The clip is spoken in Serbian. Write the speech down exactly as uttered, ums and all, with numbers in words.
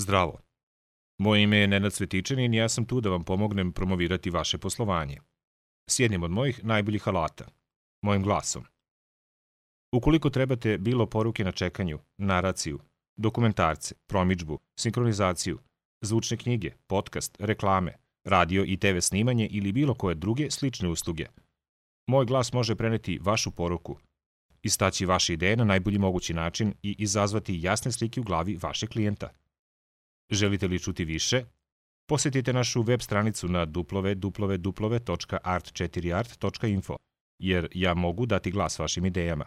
Zdravo. Moje ime je Nenad Cvetičanin i ja sam tu da vam pomognem promovirati vaše poslovanje. S jednim od mojih najboljih alata, mojim glasom. Ukoliko trebate bilo poruke na čekanju, naraciju, dokumentarce, promidžbu, sinkronizaciju, zvučne knjige, podcast, reklame, radio i te ve snimanje ili bilo koje druge slične usluge, moj glas može preneti vašu poruku, istaći vaše ideje na najbolji mogući način i izazvati jasne slike u glavi vašeg klijenta. Želite li čuti više? Posjetite našu web stranicu na w w w tačka art četiri art tačka info, jer ja mogu dati glas vašim idejama.